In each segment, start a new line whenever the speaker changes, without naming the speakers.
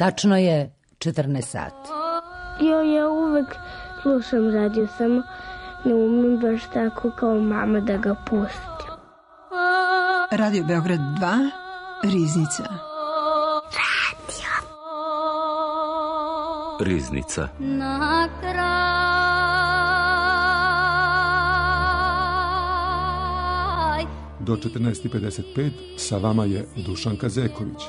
Tačno je 14 sati.
Ja uvek slušam radio, samo ne umem baš tako kao mama da ga pustim.
Radio Beograd 2, Riznica.
Riznica.
Na kraj
do 14:55 sa vama je Dušanka Zeković.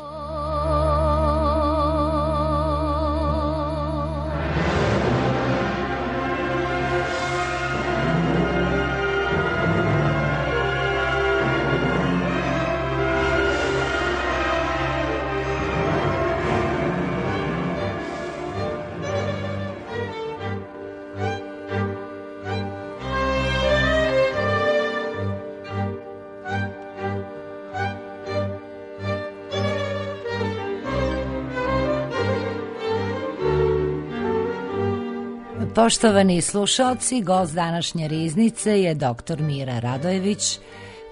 Poštovani slušalci, gost današnje Riznice je dr. Mira Radojević,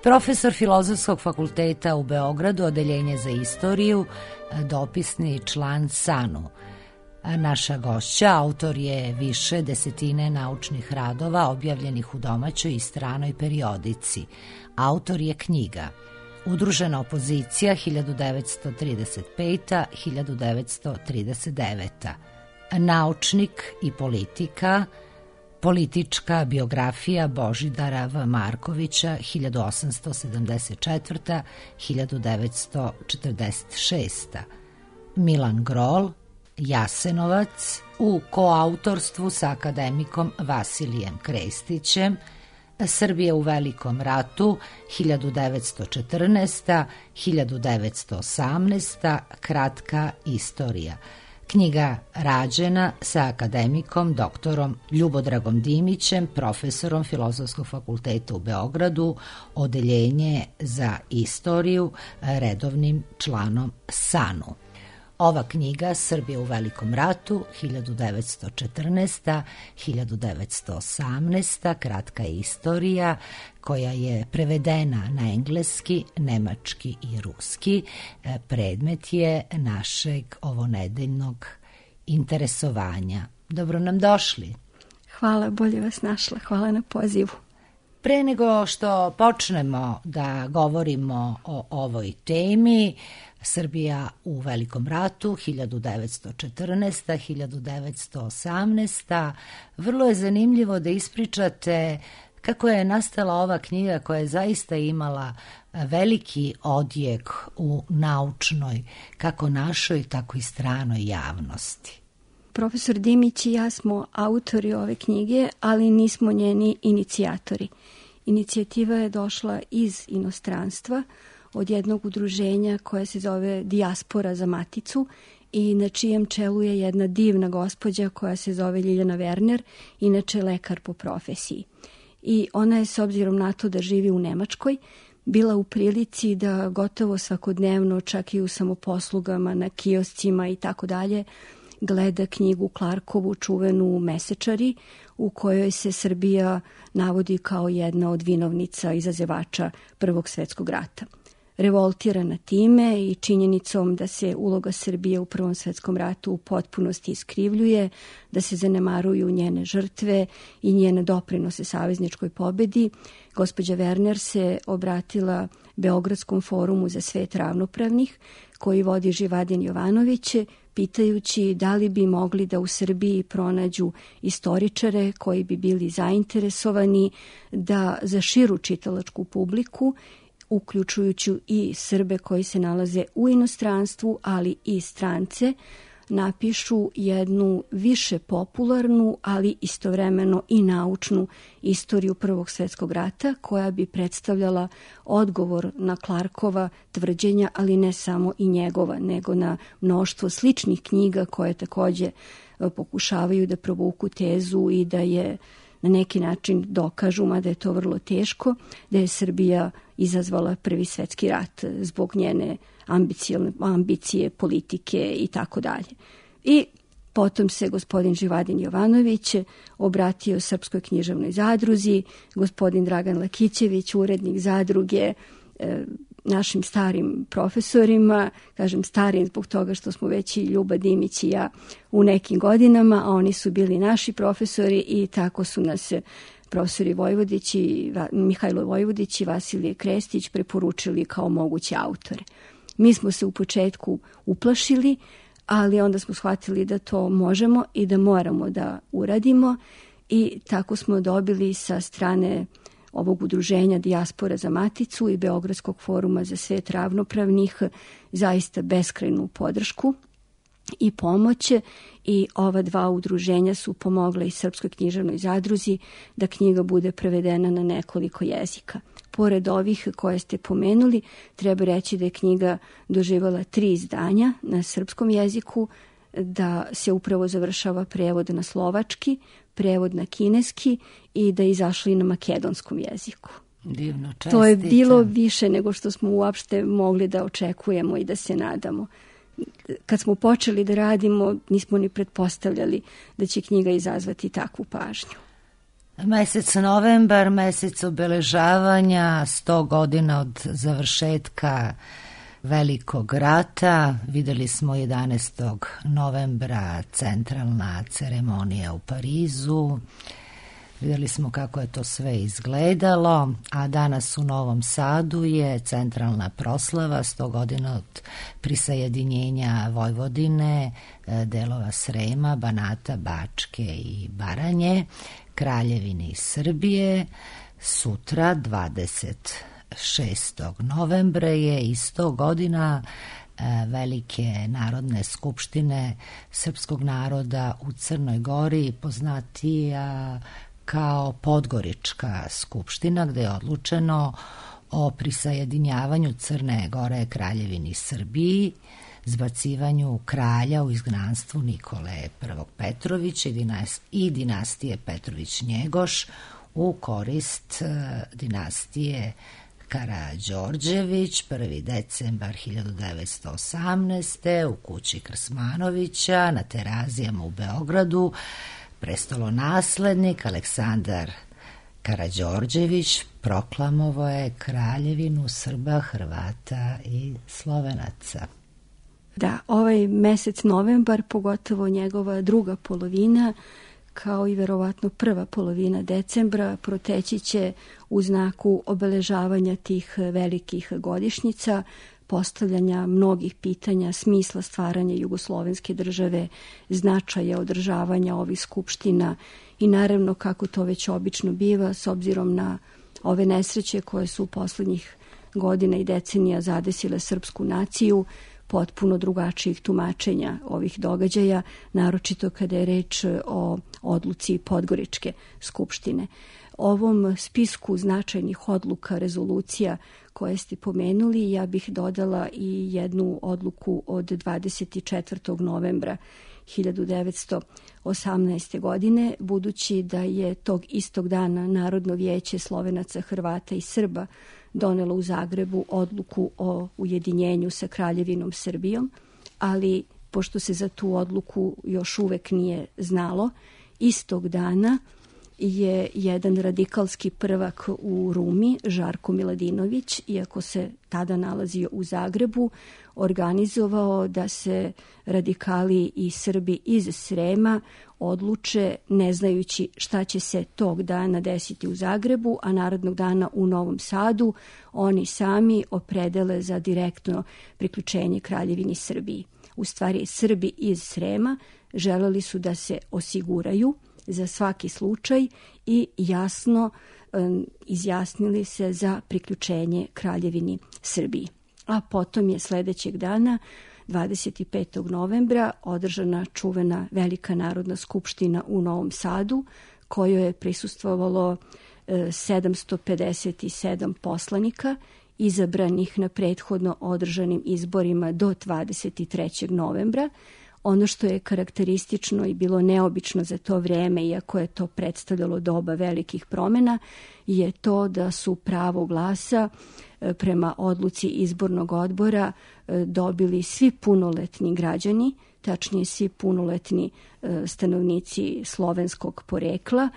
profesor Filozofskog fakulteta u Beogradu, odeljenje za istoriju, dopisni član SANU. Naša gošća, autor je više desetine naučnih radova objavljenih u domaćoj i stranoj periodici. Autor je knjiga Udružena opozicija 1935-1939, Naučnik i politika, politička biografija Božidara V. Markovića 1874-1946, Milan Grol, Jasenovac, u koautorstvu sa akademikom Vasilijem Krestićem, Srbija u Velikom ratu 1914-1918, kratka istorija. Knjiga rađena sa akademikom doktorom Ljubodragom Dimićem, profesorom Filozofskog fakulteta u Beogradu, odeljenje za istoriju, redovnim članom SANU. Ova knjiga Srbija u Velikom ratu 1914-1918, kratka istorija, koja je prevedena na engleski, nemački i ruski, predmet je našeg ovonedeljnog interesovanja. Dobro nam došli.
Hvala, bolje vas našla. Hvala na pozivu.
Pre nego što počnemo da govorimo o ovoj temi, Srbija u Velikom ratu 1914-1918, vrlo je zanimljivo da ispričate kako je nastala ova knjiga koja je zaista imala veliki odjek u naučnoj, kako našoj, tako i stranoj javnosti.
Profesor Dimić i ja smo autori ove knjige, ali nismo njeni inicijatori. Inicijativa je došla iz inostranstva, od jednog udruženja koje se zove Dijaspora za Maticu i na čijem čelu je jedna divna gospođa koja se zove Ljiljana Werner, inače lekar po profesiji. I ona je, s obzirom na to da živi u Nemačkoj, bila u prilici da gotovo svakodnevno, čak i u samoposlugama, na kioscima i tako dalje, gleda knjigu Clarkovu, čuvenu Mesečari, u kojoj se Srbija navodi kao jedna od vinovnica izazivača Prvog svjetskog rata. Revoltirana time i činjenicom da se uloga Srbije u Prvom svjetskom ratu u potpunosti iskrivljuje, da se zanemaruju njene žrtve i njene doprinose savezničkoj pobedi, gospođa Werner se obratila Beogradskom forumu za svet ravnopravnih, koji vodi Živadin Jovanović, pitajući da li bi mogli da u Srbiji pronađu istoričare koji bi bili zainteresovani da za širu čitalačku publiku, uključujući i Srbe koji se nalaze u inostranstvu, ali i strance, napišu jednu više popularnu, ali istovremeno i naučnu istoriju Prvog svjetskog rata, koja bi predstavljala odgovor na Clarkova tvrđenja, ali ne samo i njegova, nego na mnoštvo sličnih knjiga koje također pokušavaju da provuku tezu i da je na neki način dokažu, mada je to vrlo teško, da je Srbija izazvala Prvi svjetski rat zbog njene ambicije, politike i tako dalje. I potom se gospodin Živadin Jovanović obratio Srpskoj književnoj zadruzi, gospodin Dragan Lakićević, urednik zadruge, našim starim profesorima, kažem starim zbog toga što smo već i Ljuba Dimić i ja u nekim godinama, a oni su bili naši profesori i tako su nas profesori Vojvodić i Mihajlo Vojvodić i Vasilije Krestić preporučili kao moguće autore. Mi smo se u početku uplašili, ali onda smo shvatili da to možemo i da moramo da uradimo i tako smo dobili sa strane ovog udruženja Dijaspora za Maticu i Beogradskog foruma za svet ravnopravnih zaista beskrajnu podršku i pomoć i ova dva udruženja su pomogla i Srpskoj književnoj zadruzi da knjiga bude prevedena na nekoliko jezika. Pored ovih koje ste pomenuli, treba reći da je knjiga doživjela 3 izdanja na srpskom jeziku, da se upravo završava prevod na slovački, prevod na kineski i da je izašla i na makedonskom jeziku.
Divno, čestitam.
To je bilo više nego što smo uopšte mogli da očekujemo i da se nadamo. Kad smo počeli da radimo, nismo ni pretpostavljali da će knjiga izazvati takvu pažnju.
Mesec novembar, mesec obeležavanja 100 godina od završetka Velikog rata. Videli smo 11. novembra centralna ceremonija u Parizu. Videli smo kako je to sve izgledalo, a danas u Novom Sadu je centralna proslava 100 godina od prisajedinjenja Vojvodine, delova Srema, Banata, Bačke i Baranje, Kraljevine Srbije. Sutra, 26. novembra, je i 100 godina Velike narodne skupštine srpskog naroda u Crnoj Gori, poznatija kao Podgorička skupština, gde je odlučeno o prisajedinjavanju Crne Gore Kraljevini Srbiji, zbacivanju kralja u izgnanstvu Nikole I. Petrovića i dinastije Petrović-Njegoš u korist dinastije Karađorđević, 1. decembar 1918. u kući Krsmanovića na Terazijama u Beogradu. Prestolonaslednik Aleksandar Karađorđević proklamovao je kraljevinu Srba, Hrvata i Slovenaca.
Da, ovaj mesec novembar, pogotovo njegova druga polovina, kao i verovatno prva polovina decembra, proteći će u znaku obeležavanja tih velikih godišnjica, postavljanja mnogih pitanja, smisla stvaranja jugoslovenske države, značaja održavanja ovih skupština i naravno, kako to već obično biva, s obzirom na ove nesreće koje su u poslednjih godina i decenija zadesile srpsku naciju, potpuno drugačijih tumačenja ovih događaja, naročito kada je reč o odluci Podgoričke skupštine. Ovom spisku značajnih odluka, rezolucija koje ste pomenuli, ja bih dodala i jednu odluku od 24. novembra 1918. godine, budući da je tog istog dana Narodno vijeće Slovenaca, Hrvata i Srba donelo u Zagrebu odluku o ujedinjenju sa Kraljevinom Srbijom, ali pošto se za tu odluku još uvek nije znalo, istog dana je jedan radikalski prvak u Rumi, Žarko Miladinović, iako se tada nalazio u Zagrebu, organizovao da se radikali i Srbi iz Srema odluče, ne znajući šta će se tog dana desiti u Zagrebu, a narednog dana u Novom Sadu, oni sami opredele za direktno priključenje Kraljevini Srbiji. U stvari, Srbi iz Srema želeli su da se osiguraju za svaki slučaj i jasno izjasnili se za priključenje Kraljevini Srbiji. A potom je sledećeg dana, 25. novembra, održana čuvena Velika narodna skupština u Novom Sadu, kojoj je prisustvovalo 757 poslanika, izabranih na prethodno održanim izborima do 23. novembra. Ono što je karakteristično i bilo neobično za to vreme, iako je to predstavljalo doba velikih promjena, je to da su pravo glasa prema odluci izbornog odbora dobili svi punoletni građani, tačnije svi punoletni stanovnici slovenskog porekla,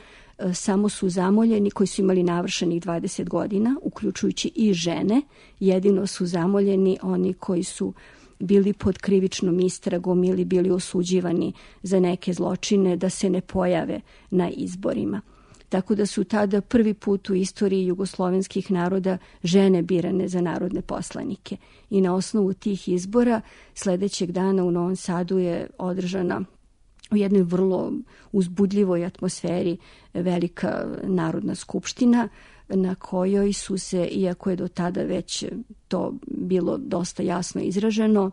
samo su zamoljeni koji su imali navršenih 20 godina, uključujući i žene. Jedino su zamoljeni oni koji su bili pod krivičnom istragom ili bili osuđivani za neke zločine da se ne pojave na izborima. Tako da su tada prvi put u istoriji jugoslovenskih naroda žene birane za narodne poslanike. I na osnovu tih izbora sledećeg dana u Novom Sadu je održana u jednoj vrlo uzbudljivoj atmosferi velika narodna skupština na kojoj su se, iako je do tada već to bilo dosta jasno izraženo,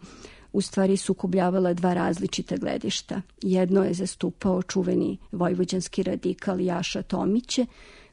u stvari sukobljavala dva različita gledišta. Jedno je zastupao čuveni vojvođanski radikal Jaša Tomić,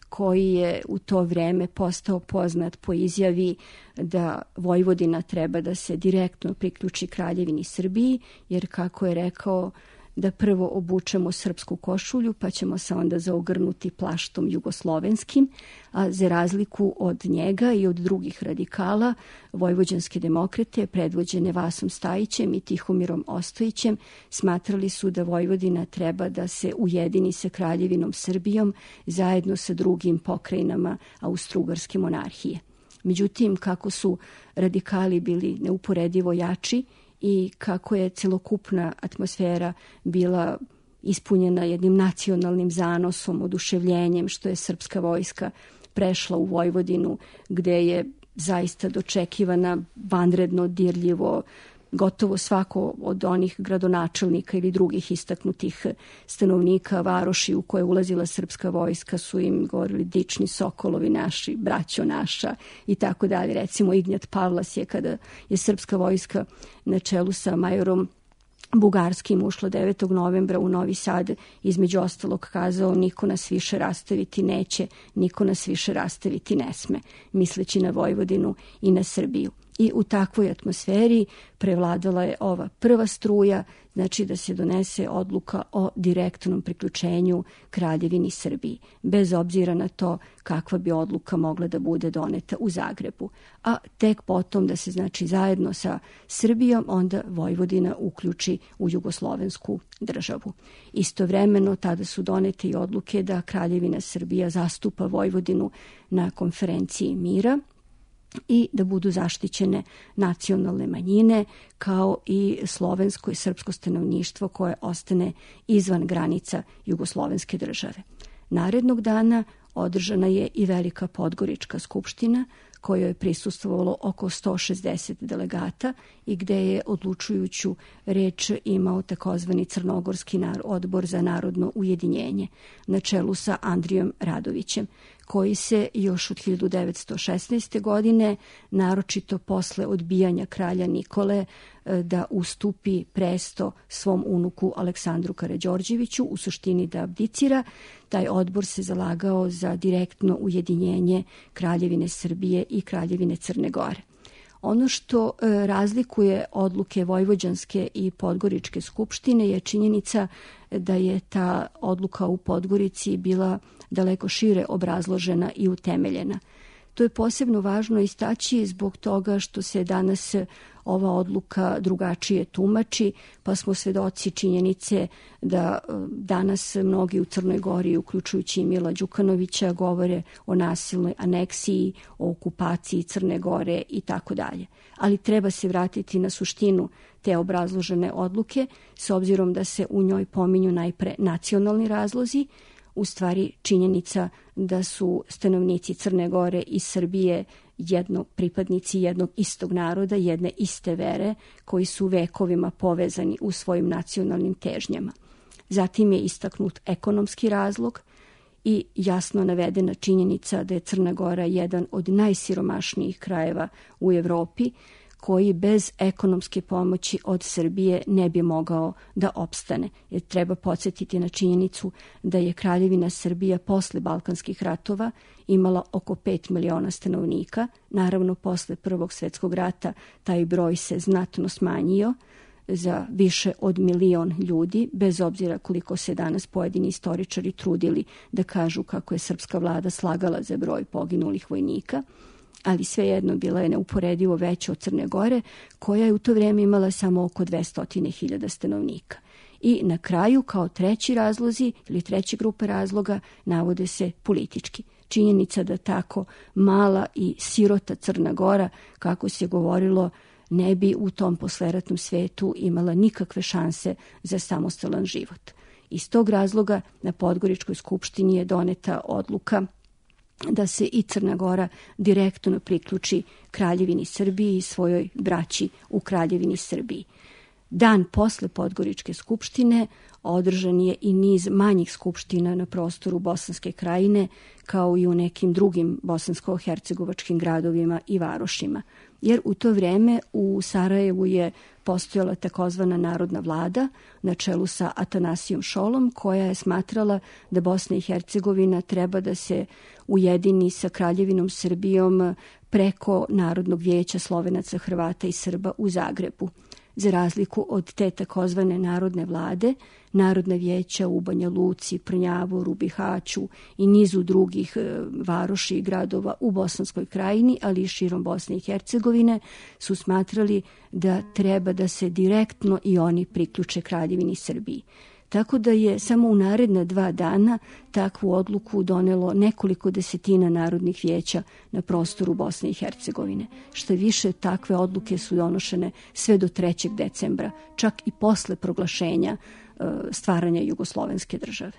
koji je u to vreme postao poznat po izjavi da Vojvodina treba da se direktno priključi Kraljevini Srbiji, jer kako je rekao, da prvo obučemo srpsku košulju, pa ćemo se onda zaogrnuti plaštom jugoslovenskim, a za razliku od njega i od drugih radikala, vojvođanske demokrate, predvođene Vasom Stajićem i Tihomirom Ostojićem, smatrali su da Vojvodina treba da se ujedini sa Kraljevinom Srbijom zajedno sa drugim pokrajinama Austro-Ugarske monarhije. Međutim, kako su radikali bili neuporedivo jači, i kako je celokupna atmosfera bila ispunjena jednim nacionalnim zanosom, oduševljenjem što je srpska vojska prešla u Vojvodinu, gde je zaista dočekivana vanredno, dirljivo. Gotovo svako od onih gradonačelnika ili drugih istaknutih stanovnika varoši u koje je ulazila srpska vojska su im govorili dični sokolovi naši, braćo naša i tako dalje. Recimo Ignjat Pavlas je, kada je srpska vojska na čelu sa majorom Bugarskim ušla 9. novembra u Novi Sad, između ostalog kazao: niko nas više rastaviti neće, niko nas više rastaviti ne sme, misleći na Vojvodinu i na Srbiju. I u takvoj atmosferi prevladala je ova prva struja, znači da se donese odluka o direktnom priključenju Kraljevini Srbiji, bez obzira na to kakva bi odluka mogla da bude doneta u Zagrebu. A tek potom da se, znači, zajedno sa Srbijom onda Vojvodina uključi u jugoslovensku državu. Istovremeno tada su donete i odluke da Kraljevina Srbija zastupa Vojvodinu na konferenciji mira i da budu zaštićene nacionalne manjine, kao i slovensko i srpsko stanovništvo koje ostane izvan granica jugoslovenske države. Narednog dana održana je i Velika Podgorička skupština, kojoj je prisustvovalo oko 160 delegata i gde je odlučujuću reč imao takozvani Crnogorski odbor za narodno ujedinjenje na čelu sa Andrijom Radovićem, koji se još od 1916. godine, naročito posle odbijanja kralja Nikole da ustupi presto svom unuku Aleksandru Karađorđeviću, u suštini da abdicira, taj odbor se zalagao za direktno ujedinjenje Kraljevine Srbije i Kraljevine Crne Gore. Ono što razlikuje odluke Vojvođanske i Podgoričke skupštine je činjenica da je ta odluka u Podgorici bila daleko šire obrazložena i utemeljena. To je posebno važno istaći zbog toga što se danas ova odluka drugačije tumači, pa smo svedoci činjenice da danas mnogi u Crnoj Gori, uključujući Mila Đukanovića, govore o nasilnoj aneksiji, o okupaciji Crne Gore i tako dalje. Ali treba se vratiti na suštinu te obrazložene odluke, s obzirom da se u njoj pominju najpre nacionalni razlozi, u stvari činjenica da su stanovnici Crne Gore i Srbije pripadnici jednog istog naroda, jedne iste vere, koji su vekovima povezani u svojim nacionalnim težnjama. Zatim je istaknut ekonomski razlog i jasno navedena činjenica da je Crna Gora jedan od najsiromašnijih krajeva u Evropi, koji bez ekonomske pomoći od Srbije ne bi mogao da opstane. Jer treba podsjetiti na činjenicu da je Kraljevina Srbija posle Balkanskih ratova imala oko 5 miliona stanovnika. Naravno, posle Prvog svjetskog rata taj broj se znatno smanjio za više od 1 milion ljudi, bez obzira koliko se danas pojedini istoričari trudili da kažu kako je srpska vlada slagala za broj poginulih vojnika, ali svejedno bila je neuporedivo veća od Crne Gore, koja je u to vrijeme imala samo oko 200.000 stanovnika. I na kraju, kao treći razlozi ili treće grupe razloga, navode se politički. Činjenica da tako mala i sirota Crna Gora, kako se govorilo, ne bi u tom posleratnom svetu imala nikakve šanse za samostalan život. Iz tog razloga na Podgoričkoj skupštini je doneta odluka da se i Crna Gora direktno priključi Kraljevini Srbiji i svojoj braći u Kraljevini Srbiji. Dan posle Podgoričke skupštine održan je i niz manjih skupština na prostoru Bosanske krajine, kao i u nekim drugim bosansko-hercegovačkim gradovima i varošima. Jer u to vreme u Sarajevu je postojala takozvana narodna vlada na čelu sa Atanasijom Šolom, koja je smatrala da Bosna i Hercegovina treba da se ujedini sa Kraljevinom Srbijom preko Narodnog vijeća Slovenaca, Hrvata i Srba u Zagrebu. Za razliku od te takozvane narodne vlade, narodna vijeća u Banja Luci, Prnjavoru, Bihaću i nizu drugih varoši i gradova u Bosanskoj krajini, ali i širom Bosne i Hercegovine, su smatrali da treba da se direktno i oni priključe Kraljevini Srbiji. Tako da je samo u naredna 2 dana takvu odluku donelo nekoliko desetina narodnih vijeća na prostoru Bosne i Hercegovine. Što više, takve odluke su donošene sve do 3. decembra, čak i posle proglašenja stvaranja jugoslovenske države.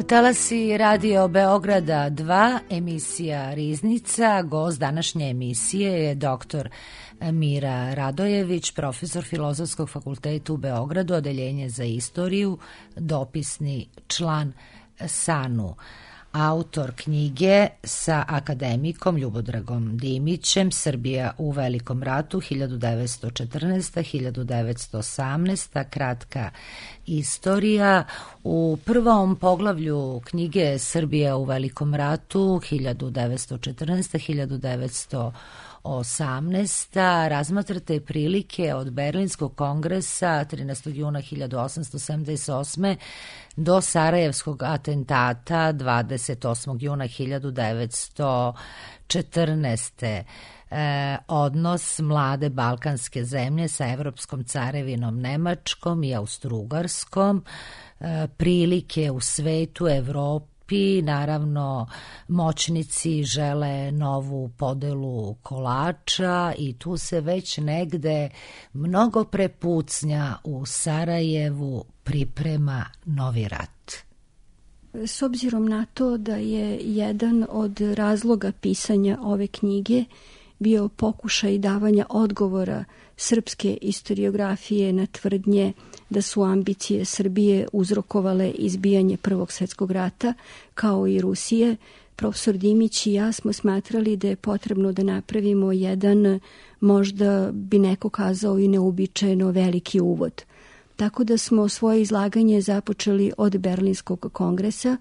Talasi Radio Beograda 2, emisija Riznica. Gost današnje emisije je dr. Mira Radojević, profesor Filozofskog fakulteta u Beogradu, odeljenje za istoriju, dopisni član SANU, autor knjige sa akademikom Ljubodragom Dimićem Srbija u Velikom ratu 1914-1918, kratka istorija. U prvom poglavlju knjige Srbija u Velikom ratu 1914-1918 18. Razmatrate prilike od Berlinskog kongresa 13. juna 1878. do Sarajevskog atentata 28. juna 1914. Odnos mlade balkanske zemlje sa Evropskom carevinom Nemačkom i Austrougarskom, prilike u svetu, Evropi, naravno moćnici žele novu podelu kolača i tu se već negde mnogo prepucnja u Sarajevu priprema novi rat.
S obzirom na to da je jedan od razloga pisanja ove knjige bio pokušaj davanja odgovora srpske istoriografije na tvrdnje da su ambicije Srbije uzrokovale izbijanje Prvog svjetskog rata, kao i Rusije, profesor Dimić i ja smo smatrali da je potrebno da napravimo jedan, možda bi neko kazao i neuobičajeno veliki uvod. Tako da smo svoje izlaganje započeli od Berlinskog kongresa,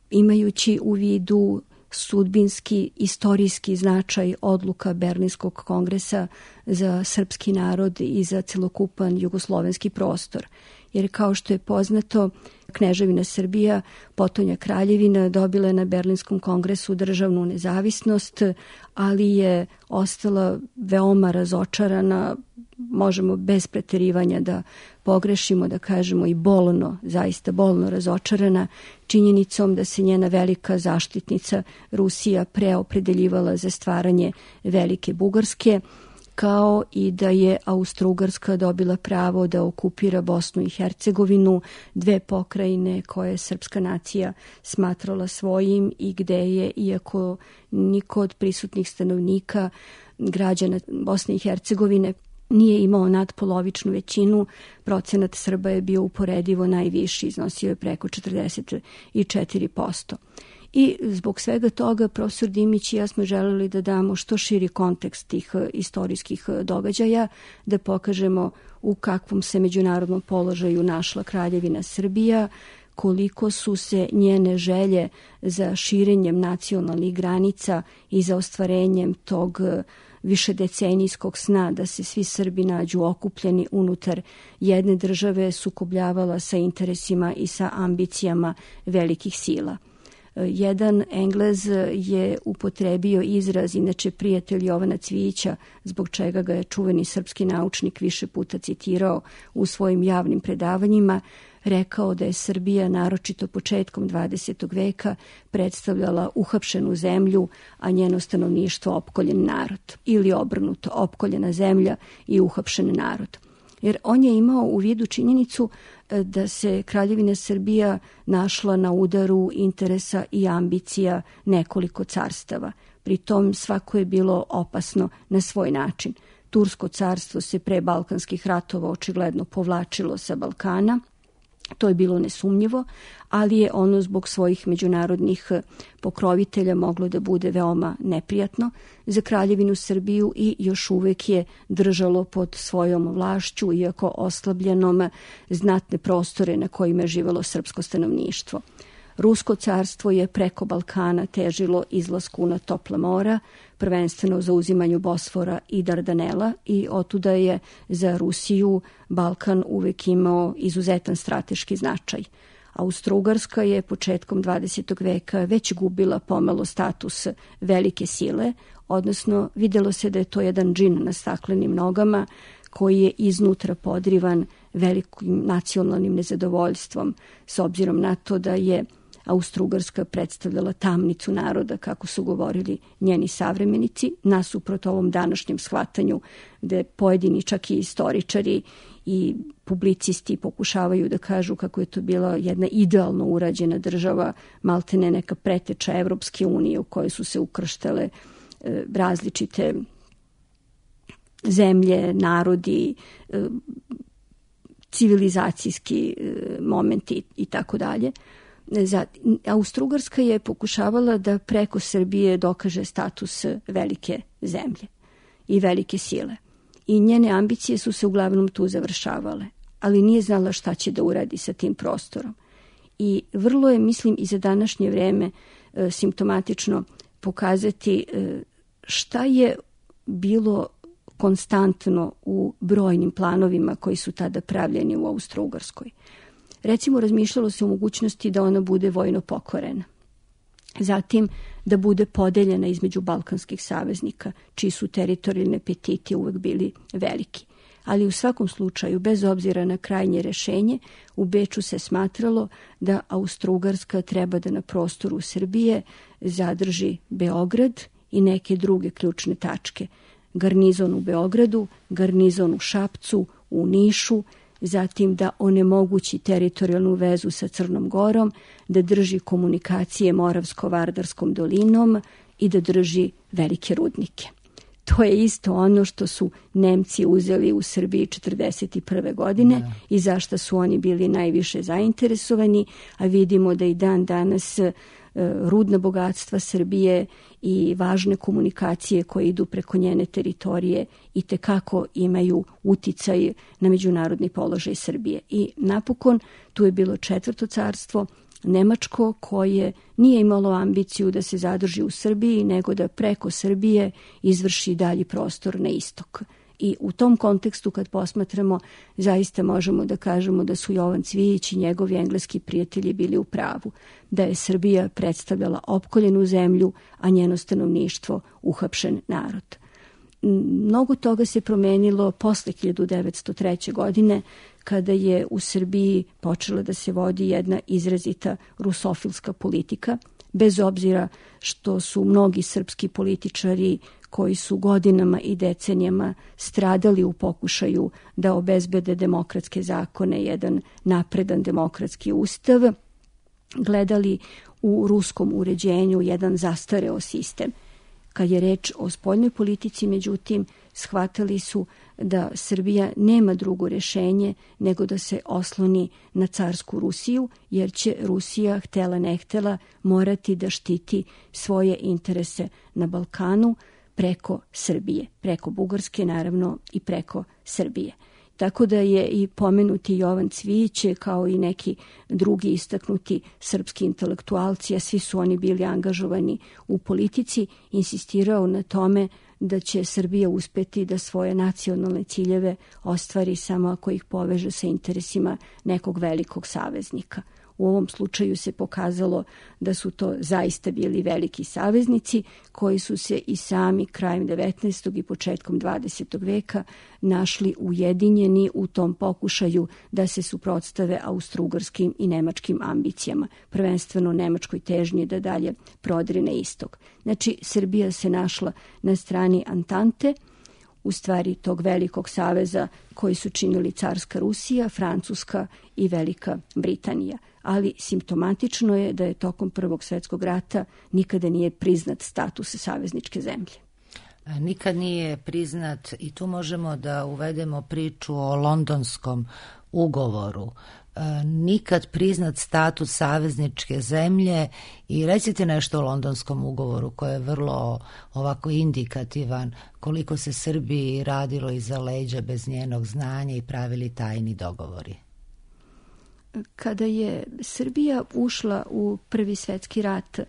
imajući u vidu sudbinski, istorijski značaj odluka Berlinskog kongresa za srpski narod i za celokupan jugoslovenski prostor. Jer kao što je poznato, Kneževina Srbija, potonja Kraljevina, dobila je na Berlinskom kongresu državnu nezavisnost, ali je ostala veoma razočarana, možemo bez preterivanja da pogrešimo, da kažemo i bolno, zaista bolno razočarana činjenicom da se njena velika zaštitnica Rusija preopredeljivala za stvaranje Velike Bugarske, kao i da je Austrougarska dobila pravo da okupira Bosnu i Hercegovinu, dve pokrajine koje je srpska nacija smatrala svojim i gde je, iako niko od prisutnih stanovnika, građana Bosne i Hercegovine, nije imao nadpolovičnu većinu, procenat Srba je bio uporedivo najviši, iznosio je preko 44%. I zbog svega toga profesor Dimić i ja smo želeli da damo što širi kontekst tih istorijskih događaja, da pokažemo u kakvom se međunarodnom položaju našla Kraljevina Srbija, koliko su se njene želje za širenjem nacionalnih granica i za ostvarenjem tog višedecenijskog sna da se svi Srbi nađu okupljeni unutar jedne države sukobljavala sa interesima i sa ambicijama velikih sila. Jedan Englez je upotrebio izraz, inače prijatelj Jovana Cvijića, zbog čega ga je čuveni srpski naučnik više puta citirao u svojim javnim predavanjima, rekao da je Srbija naročito početkom 20. veka predstavljala uhapšenu zemlju, a njeno stanovništvo opkoljen narod. Ili obrnuto, opkoljena zemlja i uhapšen narod. Jer on je imao u vidu činjenicu da se Kraljevina Srbija našla na udaru interesa i ambicija nekoliko carstava. Pri tom svako je bilo opasno na svoj način. Tursko carstvo se pre balkanskih ratova očigledno povlačilo sa Balkana. To je bilo nesumnjivo, ali je ono zbog svojih međunarodnih pokrovitelja moglo da bude veoma neprijatno za Kraljevinu Srbiju i još uvek je držalo pod svojom vlašću, iako oslabljenom, znatne prostore na kojima je živelo srpsko stanovništvo. Rusko carstvo je preko Balkana težilo izlasku na topla mora, prvenstveno za uzimanju Bosfora i Dardanela, i otuda je za Rusiju Balkan uvek imao izuzetan strateški značaj. Austrougarska je početkom 20. veka već gubila pomalo status velike sile, odnosno videlo se da je to jedan džin na staklenim nogama koji je iznutra podrivan velikim nacionalnim nezadovoljstvom, s obzirom na to da je Austrougarska predstavljala tamnicu naroda, kako su govorili njeni savremenici, nasuprot ovom današnjem shvatanju gde pojedini čak i istoričari i publicisti pokušavaju da kažu kako je to bila jedna idealno urađena država, maltene neka preteča Evropske unije u kojoj su se ukrštale različite zemlje, narodi, civilizacijski momenti i tako dalje. Austrougarska je pokušavala da preko Srbije dokaže status velike zemlje i velike sile. I njene ambicije su se uglavnom tu završavale, ali nije znala šta će da uradi sa tim prostorom. I vrlo je, mislim, i za današnje vreme simptomatično pokazati šta je bilo konstantno u brojnim planovima koji su tada pravljeni u Austro-Ugarskoj. Recimo, razmišljalo se o mogućnosti da ona bude vojno pokorena. Zatim, da bude podeljena između balkanskih saveznika, čiji su teritorijalni apetiti uvek bili veliki. Ali u svakom slučaju, bez obzira na krajnje rešenje, u Beču se smatralo da Austro-Ugarska treba da na prostoru Srbije zadrži Beograd i neke druge ključne tačke. Garnizon u Beogradu, garnizon u Šapcu, u Nišu, zatim da onemogući teritorijalnu vezu sa Crnom Gorom, da drži komunikacije Moravsko-Vardarskom dolinom i da drži velike rudnike. To je isto ono što su Nemci uzeli u Srbiji 1941. godine i zašto su oni bili najviše zainteresovani, a vidimo da i dan danas rudna bogatstva Srbije i važne komunikacije koje idu preko njene teritorije i tekako imaju uticaj na međunarodni položaj Srbije. I napokon tu je bilo Četvrto carstvo, Nemačko, koje nije imalo ambiciju da se zadrži u Srbiji, nego da preko Srbije izvrši dalji prostor na istok. I u tom kontekstu, kad posmatramo, zaista možemo da kažemo da su Jovan Cvijić i njegovi engleski prijatelji bili u pravu, da je Srbija predstavljala opkoljenu zemlju, a njeno stanovništvo uhapšen narod. Mnogo toga se promenilo posle 1903. godine, kada je u Srbiji počela da se vodi jedna izrazita rusofilska politika, bez obzira što su mnogi srpski političari koji su godinama i decenijama stradali u pokušaju da obezbede demokratske zakone, jedan napredan demokratski ustav, gledali u ruskom uređenju jedan zastareo sistem. Kad je reč o spoljnoj politici, međutim, shvatali su da Srbija nema drugo rešenje nego da se osloni na carsku Rusiju, jer će Rusija, htela ne htela, morati da štiti svoje interese na Balkanu preko Srbije, preko Bugarske naravno i preko Srbije. Tako da je i pomenuti Jovan Cvijić, kao i neki drugi istaknuti srpski intelektualci, a svi su oni bili angažovani u politici, insistirao na tome da će Srbija uspeti da svoje nacionalne ciljeve ostvari samo ako ih poveže sa interesima nekog velikog saveznika. U ovom slučaju se pokazalo da su to zaista bili veliki saveznici koji su se i sami krajem 19. i početkom 20. veka našli ujedinjeni u tom pokušaju da se suprotstave austrougarskim i nemačkim ambicijama, prvenstveno nemačkoj težnji da dalje prodre na istok. Znači, Srbija se našla na strani Antante, u stvari tog velikog saveza koji su činili carska Rusija, Francuska i Velika Britanija. Ali simptomatično je da je tokom Prvog svjetskog rata nikada nije priznat status savezničke zemlje.
Nikad nije priznat, i tu možemo da uvedemo priču o Londonskom ugovoru. Nikad priznat status savezničke zemlje, i recite nešto o Londonskom ugovoru koji je vrlo ovako indikativan koliko se Srbiji radilo iza leđa bez njenog znanja i pravili tajni dogovori.
Kada je Srbija ušla u Prvi svjetski rat,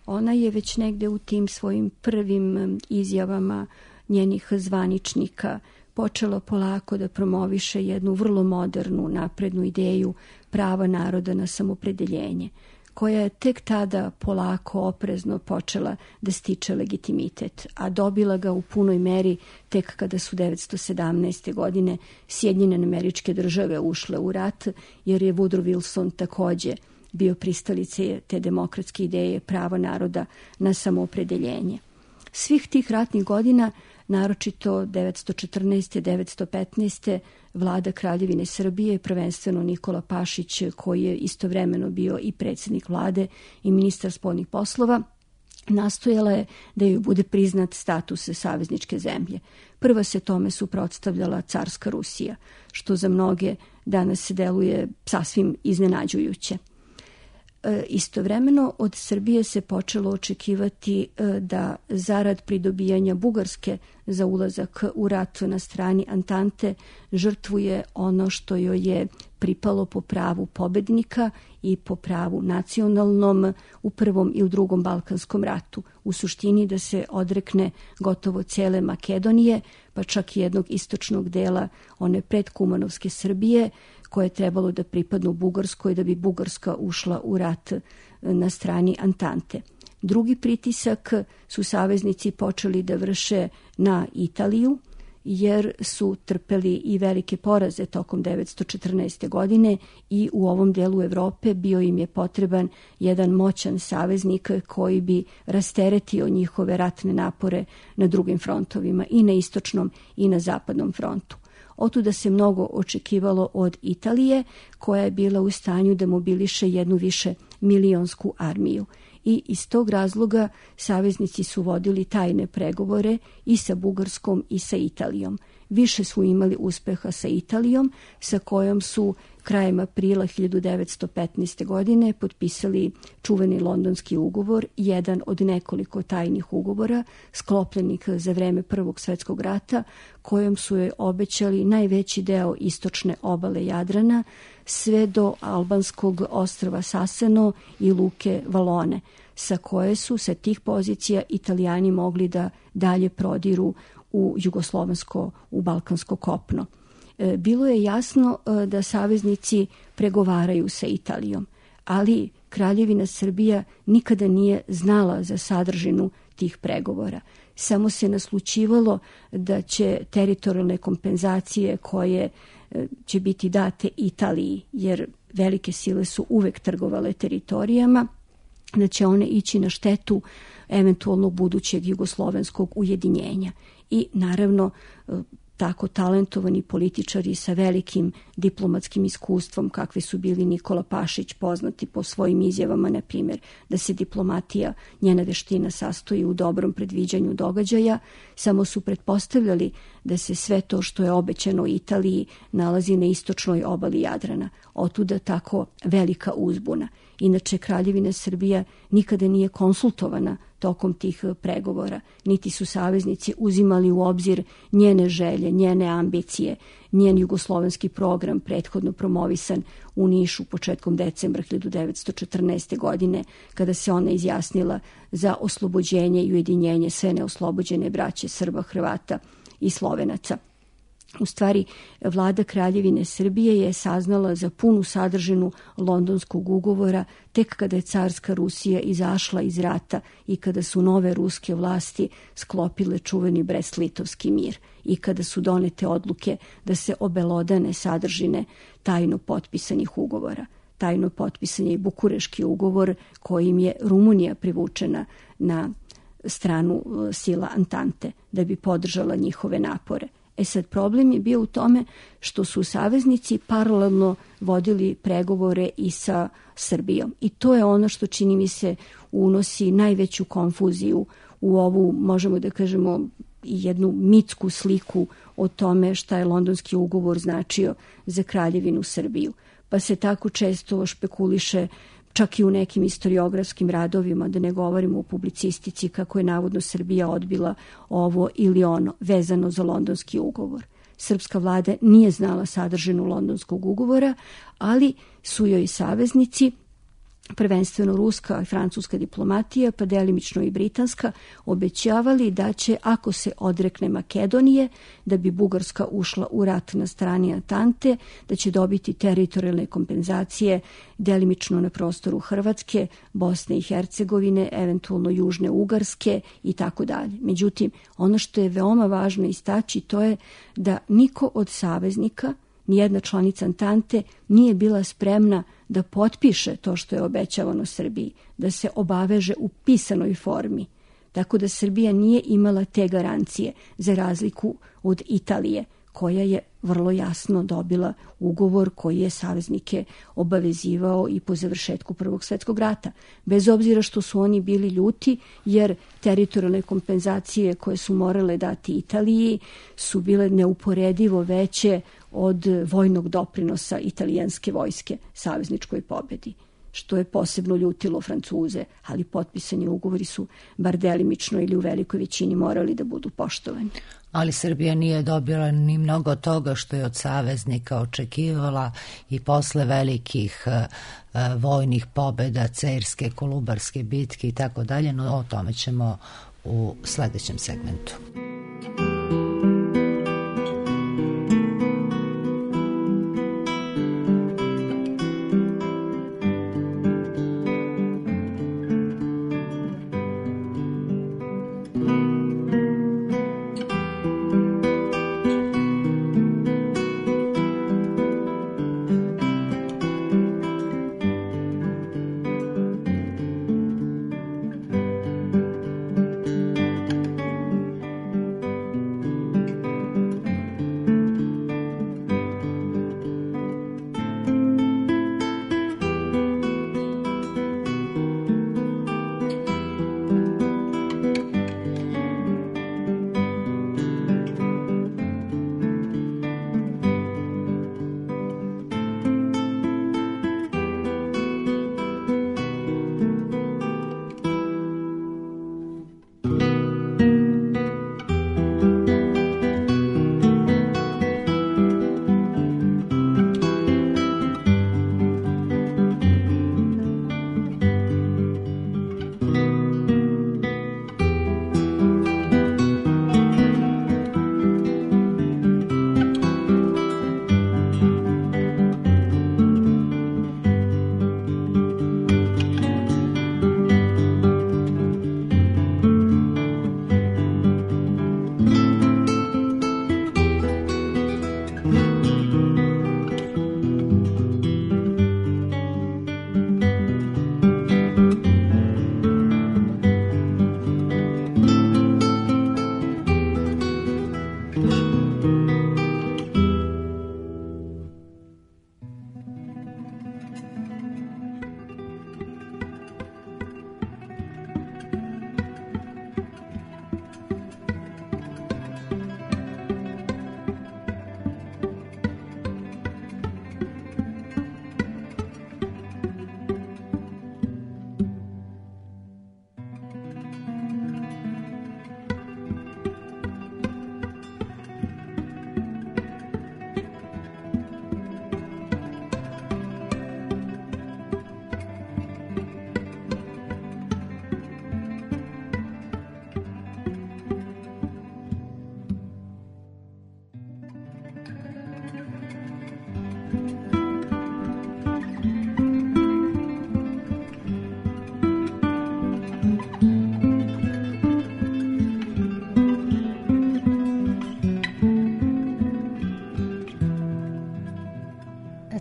ona je već negde u tim svojim prvim izjavama njenih zvaničnika počela polako da promoviše jednu vrlo modernu, naprednu ideju prava naroda na samopredeljenje, koja je tek tada polako, oprezno počela da stiče legitimitet, a dobila ga u punoj meri tek kada su 1917. godine Sjedinjene Američke Države ušle u rat, jer je Woodrow Wilson takođe bio pristalice te demokratske ideje prava naroda na samoopredeljenje. Svih tih ratnih godina, naročito 1914. 1915. vlada Kraljevine Srbije, prvenstveno Nikola Pašić, koji je istovremeno bio i predsjednik vlade i ministar spoljnih poslova, nastojala je da joj bude priznat status savezničke zemlje. Prva se tome suprotstavljala carska Rusija, što za mnoge danas deluje sasvim iznenađujuće. Istovremeno od Srbije se počelo očekivati da zarad pridobijanja Bugarske za ulazak u rat na strani Antante žrtvuje ono što joj je pripalo po pravu pobednika i po pravu nacionalnom u Prvom i u Drugom Balkanskom ratu. U suštini da se odrekne gotovo cele Makedonije, pa čak i jednog istočnog dela one predkumanovske Srbije, koje je trebalo da pripadnu Bugarskoj da bi Bugarska ušla u rat na strani Antante. Drugi pritisak su saveznici počeli da vrše na Italiju, jer su trpeli i velike poraze tokom 1914. godine i u ovom delu Evrope bio im je potreban jedan moćan saveznik koji bi rasteretio njihove ratne napore na drugim frontovima, i na istočnom i na zapadnom frontu. Otuda se mnogo očekivalo od Italije, koja je bila u stanju da mobiliše jednu više milionsku armiju. I iz tog razloga saveznici su vodili tajne pregovore i sa Bugarskom i sa Italijom. Više su imali uspeha sa Italijom, sa kojom su krajem aprila 1915. godine potpisali čuveni Londonski ugovor, jedan od nekoliko tajnih ugovora sklopljenih za vreme Prvog svjetskog rata, kojom su joj obećali najveći deo istočne obale Jadrana, sve do albanskog ostrva Saseno i luke Valone, sa koje su sa tih pozicija Italijani mogli da dalje prodiru u jugoslovensko, u balkansko kopno. Bilo je jasno da saveznici pregovaraju sa Italijom, ali Kraljevina Srbija nikada nije znala za sadržinu tih pregovora. Samo se naslućivalo da će teritorijalne kompenzacije koje će biti date Italiji, jer velike sile su uvek trgovale teritorijama, da će one ići na štetu eventualno budućeg jugoslovenskog ujedinjenja. I naravno tako talentovani političari sa velikim diplomatskim iskustvom, kakvi su bili Nikola Pašić, poznati po svojim izjavama, na primjer, da se diplomatija, njena veština sastoji u dobrom predviđanju događaja, samo su pretpostavljali da se sve to što je obećano Italiji nalazi na istočnoj obali Jadrana. Otuda tako velika uzbuna. Inače, Kraljevina Srbija nikada nije konsultovana tokom tih pregovora, niti su saveznici uzimali u obzir njene želje, njene ambicije, njen jugoslovenski program prethodno promovisan u Nišu početkom decembra 1914. godine, kada se ona izjasnila za oslobođenje i ujedinjenje sve neoslobođene braće Srba, Hrvata i Slovenaca. U stvari, vlada Kraljevine Srbije je saznala za punu sadržinu Londonskog ugovora tek kada je carska Rusija izašla iz rata i kada su nove ruske vlasti sklopile čuveni Brest-Litovski mir i kada su donete odluke da se obelodane sadržine tajno potpisanih ugovora. Tajno potpisan je i Bukureški ugovor, kojim je Rumunija privučena na stranu sila Antante da bi podržala njihove napore. Sad, problem je bio u tome što su saveznici paralelno vodili pregovore i sa Srbijom. I to je ono što, čini mi se, unosi najveću konfuziju u ovu, možemo da kažemo, jednu mitsku sliku o tome šta je Londonski ugovor značio za Kraljevinu Srbiju. Pa se tako često špekuliše, čak i u nekim historiografskim radovima, da ne govorimo o publicistici, kako je navodno Srbija odbila ovo ili ono vezano za Londonski ugovor. Srpska vlada nije znala sadržinu Londonskog ugovora, ali su joj saveznici, prvenstveno ruska i francuska diplomatija, pa delimično i britanska, obećavali da će, ako se odrekne Makedonije, da bi Bugarska ušla u rat na strani Antante, da će dobiti teritorijalne kompenzacije delimično na prostoru Hrvatske, Bosne i Hercegovine, eventualno Južne Ugarske i tako dalje. Međutim, ono što je veoma važno istaći, to je da niko od saveznika, nijedna članica Antante, nije bila spremna da potpiše to što je obećavano Srbiji, da se obaveže u pisanoj formi. Tako da Srbija nije imala te garancije, za razliku od Italije, koja je vrlo jasno dobila ugovor koji je saveznike obavezivao i po završetku Prvog svjetskog rata. Bez obzira što su oni bili ljuti, jer teritorijalne kompenzacije koje su morale dati Italiji su bile neuporedivo veće od vojnog doprinosa italijanske vojske savezničkoj pobedi. što je posebno ljutilo Francuze, ali potpisani ugovori su bar delimično ili u velikoj većini morali da budu poštovani.
Ali Srbija nije dobila ni mnogo toga što je od saveznika očekivala i posle velikih vojnih pobjeda, Cerske, Kolubarske bitke i tako dalje, no o tome ćemo u sledećem segmentu.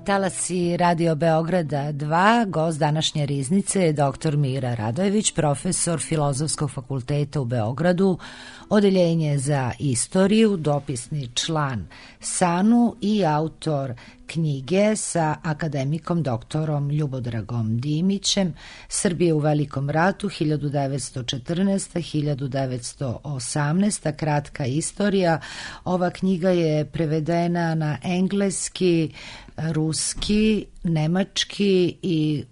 Talasi Radio Beograda 2, gost današnje riznice je dr. Mira Radojević, profesor Filozofskog fakulteta u Beogradu, odeljenje za istoriju, dopisni član SANU i autor knjige sa akademikom doktorom Ljubodragom Dimićem Srbije u Velikom ratu 1914-1918, kratka istorija. Ova knjiga je prevedena na engleski, ruski, nemački i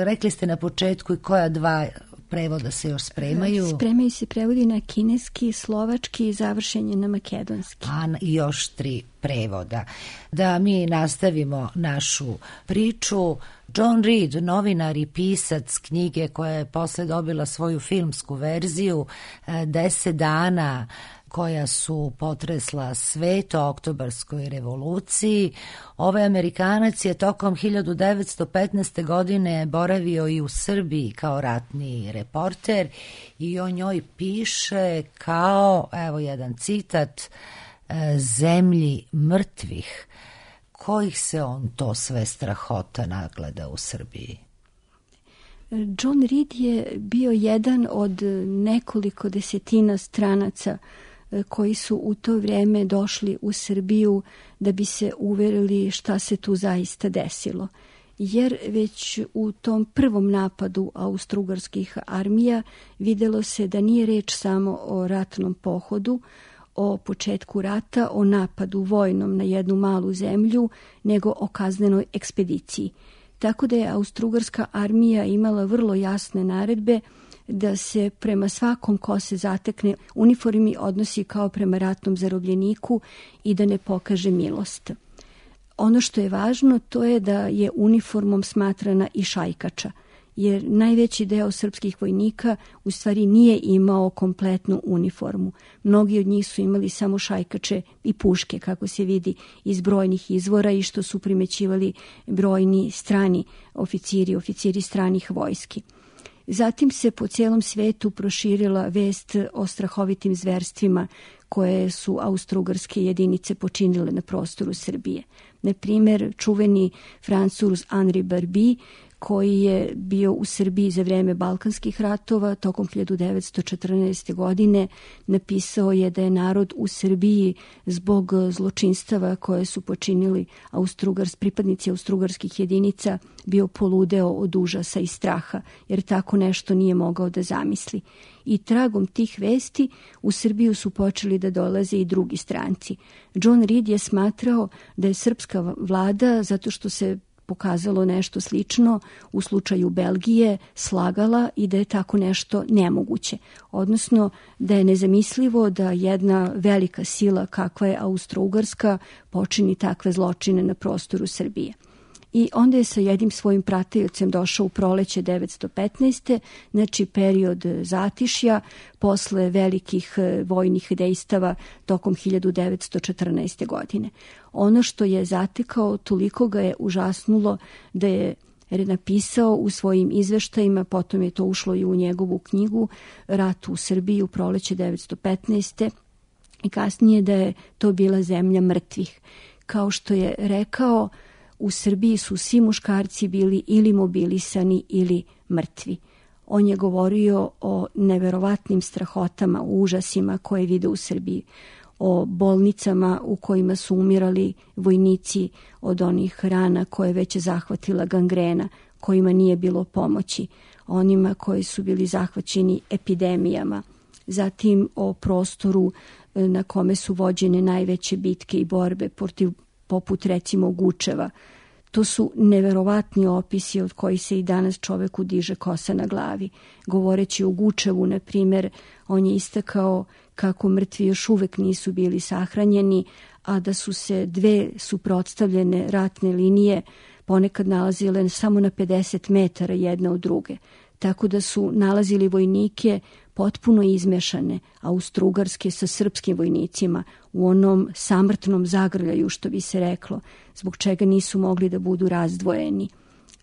rekli ste na početku i koja dva prevoda se još spremaju?
Spremaju se prevodi na kineski, slovački i završen je na makedonski.
I još 3 prevoda. Da mi nastavimo našu priču. John Reed, novinar i pisac knjige koja je posle dobila svoju filmsku verziju 10 dana koja su potresla svet o oktobarskoj revoluciji. Ovaj Amerikanac je tokom 1915. godine boravio i u Srbiji kao ratni reporter i o njoj piše kao, evo jedan citat, zemlji mrtvih. Kojih se on to sve strahota nagleda u Srbiji?
John Reed je bio jedan od nekoliko desetina stranaca koji su u to vrijeme došli u Srbiju da bi se uverili šta se tu zaista desilo. Jer već u tom prvom napadu austrougarskih armija videlo se da nije reč samo o ratnom pohodu, o početku rata, o napadu vojnom na jednu malu zemlju, nego o kaznenoj ekspediciji. tako da je Austrougarska armija imala vrlo jasne naredbe da se prema svakom ko se zatekne uniformi odnosi kao prema ratnom zarobljeniku i da ne pokaže milost. Ono što je važno to je da je uniformom smatrana i šajkača, jer najveći deo srpskih vojnika u stvari nije imao kompletnu uniformu. Mnogi od njih su imali samo šajkače i puške, kako se vidi iz brojnih izvora i što su primećivali brojni strani oficiri stranih vojski. Zatim se po cijelom svetu proširila vest o strahovitim zverstvima koje su austrougarske jedinice počinile na prostoru Srbije. Na primjer, čuveni Francuz Henri Barby, koji je bio u Srbiji za vreme Balkanskih ratova, tokom 1914. godine napisao je da je narod u Srbiji zbog zločinstava koje su počinili pripadnici austrougarskih jedinica bio poludeo od užasa i straha, jer tako nešto nije mogao da zamisli. I tragom tih vesti u Srbiju su počeli da dolaze i drugi stranci. John Reed je smatrao da je srpska vlada, zato što se pokazalo nešto slično u slučaju Belgije, slagala i da je tako nešto nemoguće. Odnosno da je nezamislivo da jedna velika sila kakva je Austrougarska počini takve zločine na prostoru Srbije. I onda je sa jednim svojim pratiocem došao u proleće 1915. Znači period zatišja posle velikih vojnih dejstava tokom 1914. godine. Ono što je zatekao toliko ga je užasnulo da je napisao u svojim izveštajima, potom je to ušlo i u njegovu knjigu Rat u Srbiji u proleće 1915. i kasnije da je to bila zemlja mrtvih. Kao što je rekao, u Srbiji su svi muškarci bili ili mobilisani ili mrtvi. On je govorio o neverovatnim strahotama, užasima koje vide u Srbiji, o bolnicama u kojima su umirali vojnici od onih rana koje već je zahvatila gangrena, kojima nije bilo pomoći, onima koji su bili zahvaćeni epidemijama, zatim o prostoru na kome su vođene najveće bitke i borbe poput recimo Gučeva. To su neverovatni opisi od kojih se i danas čoveku diže kosa na glavi. Govoreći o Gučevu, na primjer, on je istakao kako mrtvi još uvek nisu bili sahranjeni, a da su se dve suprotstavljene ratne linije ponekad nalazile samo na 50 metara jedna od druge. Tako da su nalazili vojnike potpuno izmešane, austrougarske sa srpskim vojnicima, u onom samrtnom zagrljaju, što bi se reklo, zbog čega nisu mogli da budu razdvojeni.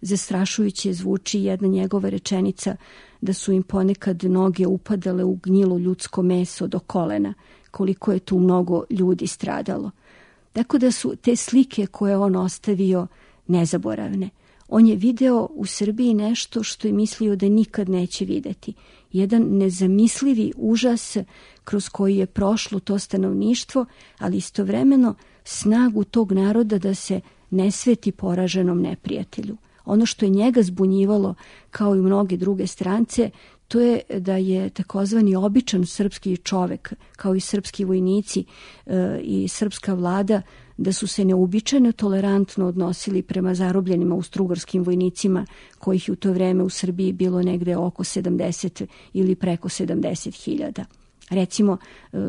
Zastrašujuće zvuči jedna njegova rečenica da su im ponekad noge upadale u gnjilo ljudsko meso do kolena, koliko je tu mnogo ljudi stradalo. Tako da su te slike koje on ostavio nezaboravne. On je video u Srbiji nešto što je mislio da nikad neće videti. Jedan nezamislivi užas kroz koji je prošlo to stanovništvo, ali istovremeno snagu tog naroda da se ne sveti poraženom neprijatelju. Ono što je njega zbunjivalo, kao i mnoge druge strance, to je da je takozvani običan srpski čovek, kao i srpski vojnici i srpska vlada, da su se neuobičajeno tolerantno odnosili prema zarobljenim austrougarskim vojnicima, kojih je u to vreme u Srbiji bilo negde oko 70 ili preko 70.000. Recimo,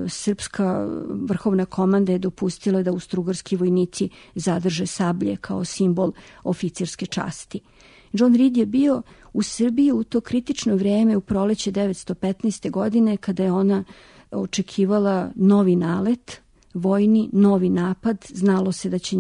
srpska vrhovna komanda je dopustila da austrougarski vojnici zadrže sablje kao simbol oficirske časti. John Reed je bio u Srbiji u to kritično vreme u proleće 1915. godine, kada je ona očekivala novi nalet, vojni, novi napad, znalo se da će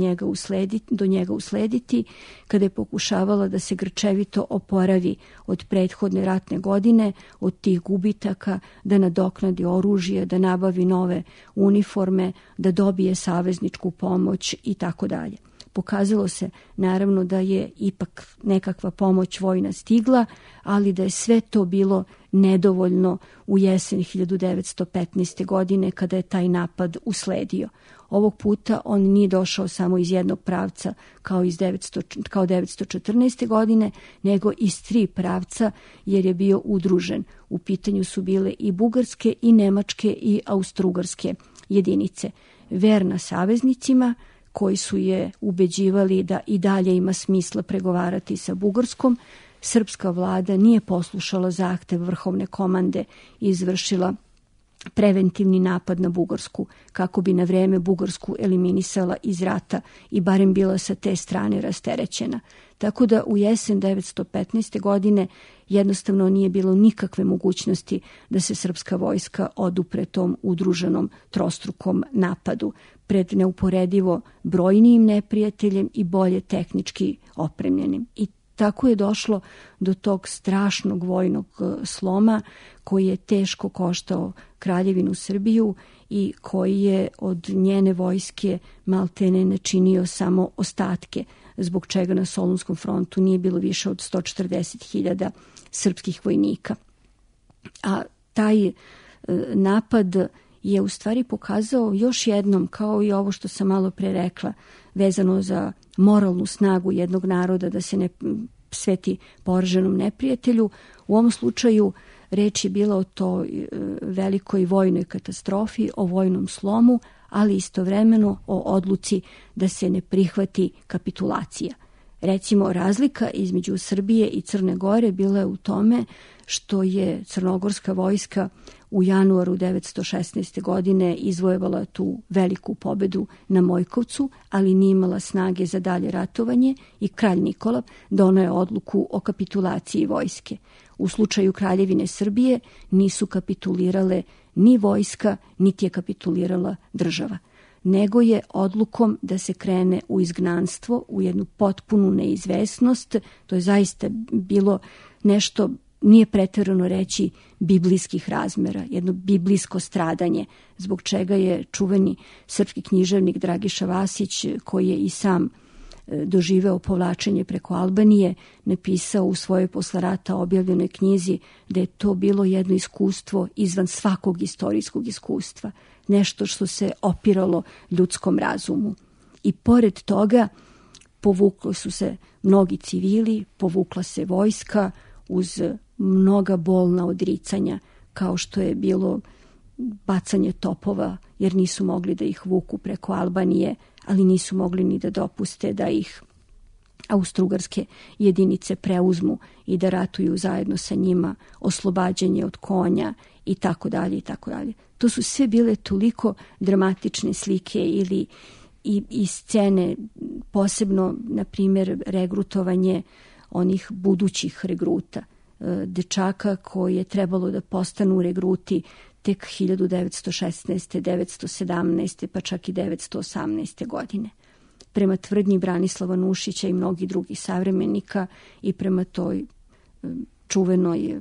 do njega uslediti, kada je pokušavala da se grčevito oporavi od prethodne ratne godine, od tih gubitaka, da nadoknadi oružje, da nabavi nove uniforme, da dobije savezničku pomoć i tako dalje. Pokazalo se naravno da je ipak nekakva pomoć vojna stigla, ali da je sve to bilo nedovoljno u jesen 1915. godine kada je taj napad usledio. Ovog puta on nije došao samo iz jednog pravca kao 1914. godine, nego iz tri pravca jer je bio udružen. U pitanju su bile i bugarske i nemačke i austrougarske jedinice. Verna saveznicima, koji su je ubeđivali da i dalje ima smisla pregovarati sa Bugarskom, srpska vlada nije poslušala zahtev vrhovne komande i izvršila preventivni napad na Bugarsku, kako bi na vreme Bugarsku eliminisala iz rata i barem bila sa te strane rasterećena. Tako da u jesen 915. godine jednostavno nije bilo nikakve mogućnosti da se srpska vojska odupre tom udruženom trostrukom napadu pred neuporedivo brojnijim neprijateljem i bolje tehnički opremljenim. I tako je došlo do tog strašnog vojnog sloma koji je teško koštao Kraljevinu Srbiju i koji je od njene vojske maltene načinio samo ostatke, zbog čega na Solunskom frontu nije bilo više od 140.000 srpskih vojnika. A taj napad je u stvari pokazao još jednom, kao i ovo što sam malo pre rekla, vezano za moralnu snagu jednog naroda da se ne sveti poraženom neprijatelju. U ovom slučaju reč je bila o toj velikoj vojnoj katastrofi, o vojnom slomu, ali istovremeno o odluci da se ne prihvati kapitulacija. Recimo, razlika između Srbije i Crne Gore bila je u tome što je crnogorska vojska u januaru 916. godine izvojevala tu veliku pobedu na Mojkovcu, ali nije imala snage za dalje ratovanje i kralj Nikola doneo je odluku o kapitulaciji vojske. U slučaju Kraljevine Srbije nisu kapitulirale ni vojska, niti je kapitulirala država, nego je odlukom da se krene u izgnanstvo, u jednu potpunu neizvesnost. To je zaista bilo nešto, nije pretjerano reći, biblijskih razmera, jedno biblijsko stradanje, zbog čega je čuveni srpski književnik Dragiša Vasić, koji je i sam doživeo povlačenje preko Albanije, napisao u svojoj posle rata objavljenoj knjizi da je to bilo jedno iskustvo izvan svakog istorijskog iskustva, nešto što se opiralo ljudskom razumu. I pored toga povukli su se mnogi civili, povukla se vojska uz mnoga bolna odricanja, kao što je bilo bacanje topova, jer nisu mogli da ih vuku preko Albanije, ali nisu mogli ni da dopuste da ih austrougarske jedinice preuzmu i da ratuju zajedno sa njima, oslobađanje od konja i tako dalje i tako dalje. To su sve bile toliko dramatične slike i scene, posebno, na primjer, regrutovanje onih budućih regruta, dečaka koji je trebalo da postanu regruti tek 1916. 917. pa čak i 918. godine. Prema tvrdnji Branislava Nušića i mnogih drugih savremenika i prema toj čuvenoj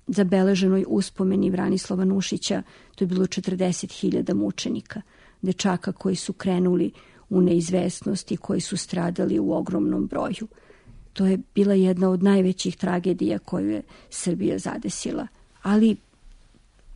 zabeleženoj uspomeni Branislava Nušića, to je bilo 40.000 mučenika, dečaka koji su krenuli u neizvesnost i koji su stradali u ogromnom broju. To je bila jedna od najvećih tragedija koju je Srbija zadesila, ali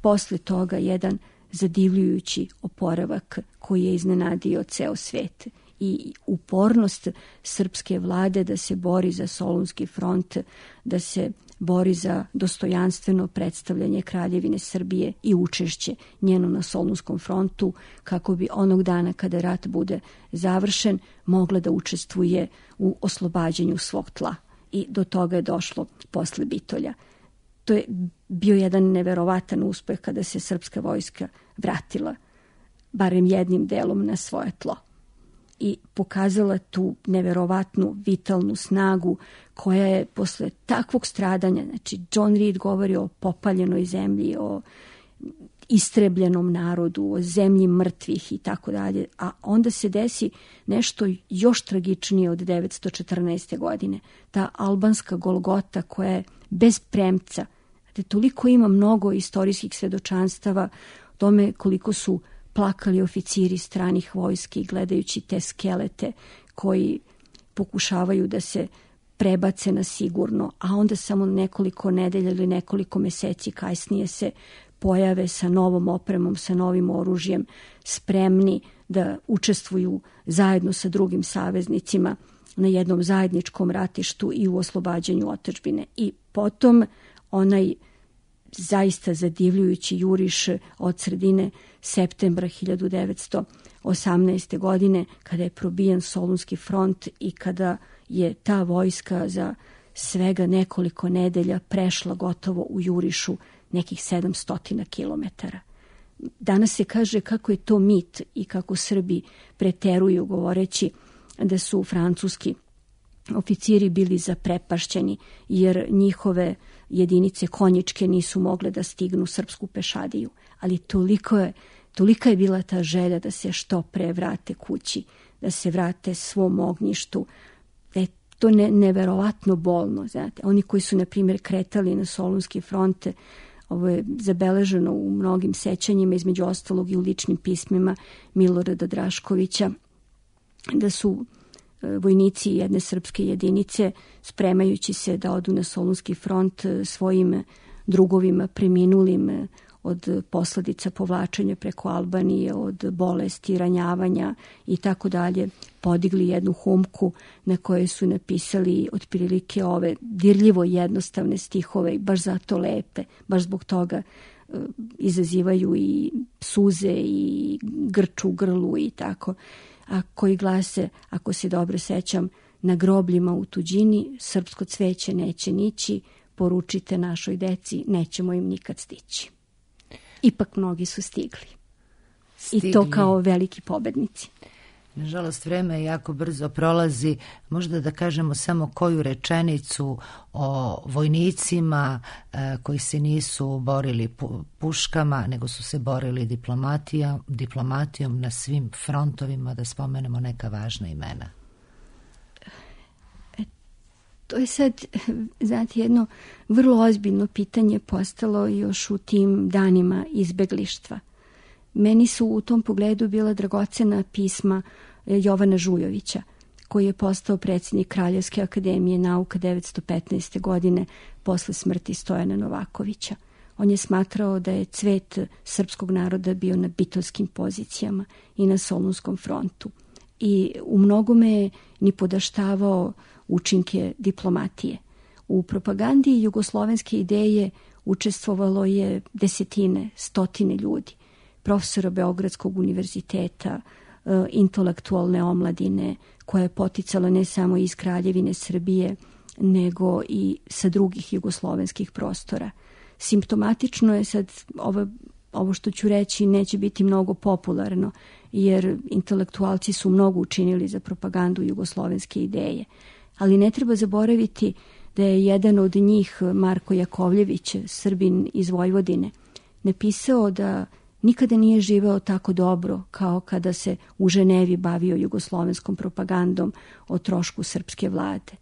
posle toga jedan zadivljujući oporavak koji je iznenadio ceo svet i upornost srpske vlade da se bori za Solunski front, da se bori za dostojanstveno predstavljanje Kraljevine Srbije i učešće njeno na Solunskom frontu, kako bi onog dana kada rat bude završen mogla da učestvuje u oslobađanju svog tla. I do toga je došlo posle Bitolja. To je bio jedan neverovatan uspeh kada se srpska vojska vratila barem jednim delom na svoje tlo i pokazala tu neverovatnu vitalnu snagu koja je posle takvog stradanja, znači John Reed govori o popaljenoj zemlji, o istrebljenom narodu, o zemlji mrtvih i tako dalje, a onda se desi nešto još tragičnije od 914. godine. Ta albanska Golgota koja je bez premca, toliko ima mnogo istorijskih svedočanstava o tome koliko su plakali oficiri stranih vojski gledajući te skelete koji pokušavaju da se prebace na sigurno, a onda samo nekoliko nedelja ili nekoliko meseci kasnije se pojave sa novom opremom, sa novim oružjem, spremni da učestvuju zajedno sa drugim saveznicima na jednom zajedničkom ratištu i u oslobađanju otadžbine. I potom onaj zaista zadivljujući juriš od sredine septembra 1918. godine, kada je probijen Solunski front i kada je ta vojska za svega nekoliko nedelja prešla gotovo u jurišu nekih 700 kilometara. Danas se kaže kako je to mit i kako Srbi preteruju govoreći da su francuski oficiri bili zaprepašćeni jer njihove jedinice konjičke nisu mogle da stignu srpsku pešadiju. Ali tolika je bila ta želja da se što pre vrate kući, da se vrate svom ognjištu, da je to neverovatno bolno. Znate. Oni koji su, na primjer, kretali na Solunski front, ovo je zabeleženo u mnogim sećanjima, između ostalog i u ličnim pismima Milorada Draškovića, da su vojnici jedne srpske jedinice, spremajući se da odu na Solunski front, svojim drugovima preminulim od posledica povlačenja preko Albanije, od bolesti, ranjavanja i tako dalje, podigli jednu humku na kojoj su napisali otprilike ove dirljivo jednostavne stihove i baš zato lepe, baš zbog toga izazivaju i suze i grč u grlu i tako, a koji glase, ako se dobro sećam, na grobljima u tuđini srpsko cveće neće nići, poručite našoj deci, nećemo im nikad stići. Ipak mnogi su stigli. I to kao veliki pobednici.
Nažalost, vreme jako brzo prolazi. Možda da kažemo samo koju rečenicu o vojnicima koji se nisu borili puškama, nego su se borili diplomatijom na svim frontovima, da spomenemo neka važna imena.
To je sad, znate, jedno vrlo ozbiljno pitanje postalo još u tim danima izbeglištva. Meni su u tom pogledu bila dragocena pisma Jovana Žujovića, koji je postao predsjednik Kraljevske akademije nauka 1915. godine posle smrti Stojana Novakovića. On je smatrao da je cvet srpskog naroda bio na bitovskim pozicijama i na Solunskom frontu. I u mnogome je ni podaštavao učinke diplomatije. U propagandi jugoslovenske ideje učestvovalo je desetine, stotine ljudi, profesora Beogradskog univerziteta, intelektualne omladine, koja je poticala ne samo iz Kraljevine Srbije, nego i sa drugih jugoslovenskih prostora. Simptomatično je sad, ovo što ću reći neće biti mnogo popularno, jer intelektualci su mnogo učinili za propagandu jugoslovenske ideje. Ali ne treba zaboraviti da je jedan od njih, Marko Jakovljević, Srbin iz Vojvodine, napisao da nikada nije živeo tako dobro kao kada se u Ženevi bavio jugoslovenskom propagandom o trošku srpske vlade.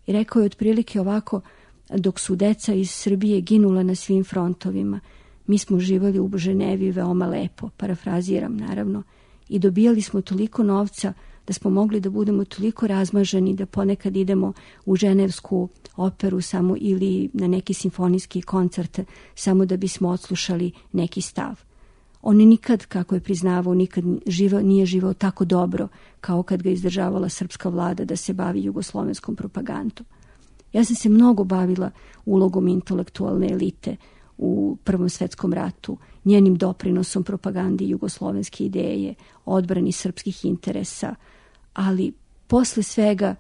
I rekao je otprilike ovako: dok su deca iz Srbije ginula na svim frontovima, mi smo živali u Ženevi veoma lepo, parafraziram naravno, i dobijali smo toliko novca da smo mogli da budemo toliko razmaženi da ponekad idemo u ženevsku operu samo ili na neki simfonijski koncert samo da bismo odslušali neki stav. On nikad, kako je priznavao, nikad nije živao tako dobro kao kad ga izdržavala srpska vlada da se bavi jugoslovenskom propagandom. Ja sam se mnogo bavila ulogom intelektualne elite u Prvom svetskom ratu, njenim doprinosom propagandi jugoslovenske ideje, odbrani srpskih interesa, ali posle svega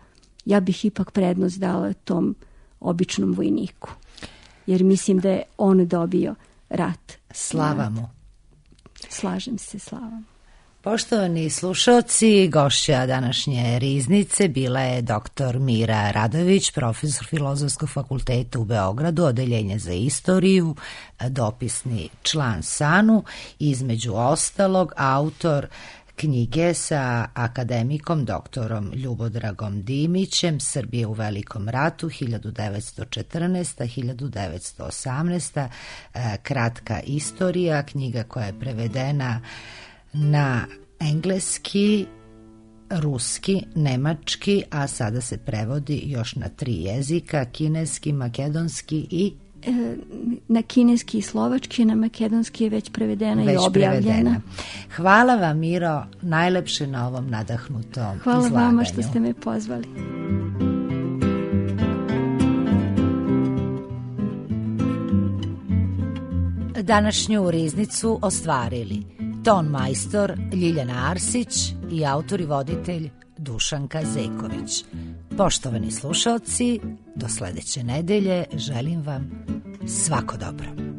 ja bih ipak prednost dala tom običnom vojniku, jer mislim da je on dobio rat.
Slava mu.
Slažem se, slava.
Poštovani slušalci, gošća današnje riznice bila je dr. Mira Radojević, profesor Filozofskog fakulteta u Beogradu, odeljenje za istoriju, dopisni član SANU, između ostalog autor knjige sa akademikom doktorom Ljubodragom Dimićem, Srbije u Velikom ratu 1914-1918, kratka istorija, knjiga koja je prevedena na engleski, ruski, nemački, a sada se prevodi još na 3 jezika, kineski, makedonski i...
Na kineski i slovački, na makedonski je već prevedena i objavljena.
Hvala vam, Miro, najlepše na ovom nadahnutom izlaganju.
Hvala vama što ste me pozvali.
Današnju riznicu ostvarili ton majstor Ljiljana Arsić i autor i voditelj Dušanka Zeković. Poštovani slušaoci, do sledeće nedelje želim vam svako dobro.